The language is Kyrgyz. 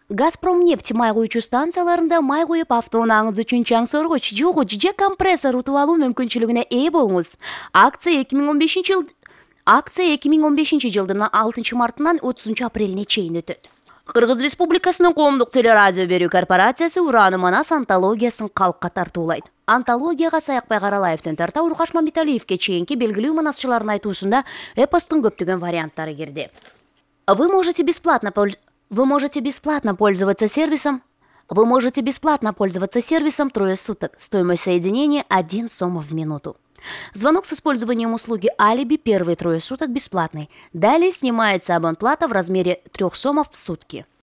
Газпромнефть май куючу станцияларында май куюп автоунааңыз үчүн чаң соргуч, жугуч же компрессор утуп алуу мүмкүнчүлүгүнө ээ болуңуз. Акция 2015 жылдын 6 мартынан 30 апрелине чейин өтөт. Кыргыз Республикасынын коомдук телерадио берүү корпорациясы Ураны Манас антологиясын калкка тартуулайт. Антологияга Саякбай Каралаевден тарта Уркаш Мамбеталиевке чейинки белгилүү манасчылардын айтуусунда эпостун көптөгөн варианттары кирди. Вы можете бесплатно пользоваться сервисом трое суток. Стоимость соединения 1 сом в минуту. Звонок с использованием услуги Алиби первые 3 суток бесплатный. Далее снимается абонплата в размере 3 сомов в сутки.